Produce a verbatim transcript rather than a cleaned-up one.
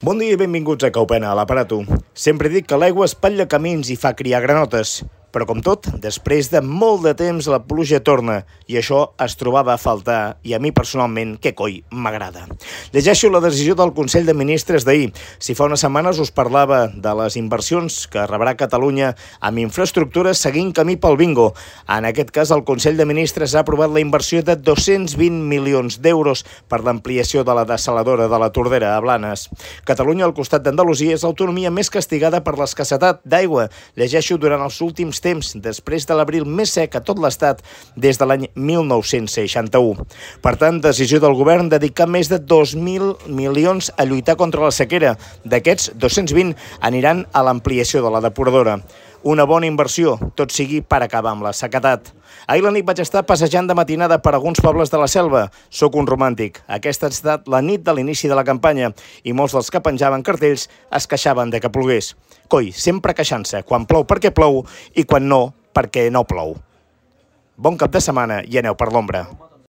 Bon dia i benvinguts a Caupena, a l'Aparato. Sempre dic que l'aigua espatlla camins i fa criar granotes. Però com tot, després de molt de temps la pluja torna i això es trobava a faltar i a mi personalment, que coi, m'agrada. Llegeixo la decisió del Consell de Ministres d'ahir. Si fa unes setmanes us parlava de les inversions que rebrà Catalunya amb infraestructures seguint camí pel bingo. En aquest cas, el Consell de Ministres ha aprovat la inversió de dos-cents vint milions d'euros per l'ampliació de la dessaladora de la Tordera a Blanes. Catalunya, al costat d'Andalusia, és l'autonomia més castigada per l'escassetat d'aigua. Llegeixo durant els últims temps, després de l'abril més sec a tot l'estat des de l'any mil nou-cents seixanta-u. Per tant, decisió del govern dedicar més de dos mil milions a lluitar contra la sequera. D'aquests, dos-cents vint aniran a l'ampliació de la depuradora. Una bona inversió, tot sigui per acabar amb la sequedat. Ahir la nit vaig estar passejant de matinada per alguns pobles de la selva. Soc un romàntic. Aquesta ha estat la nit de l'inici de la campanya i molts dels que penjaven cartells es queixaven de que plogués. Coi, sempre queixant-se, quan plou perquè plou i quan no, perquè no plou. Bon cap de setmana i aneu per l'ombra.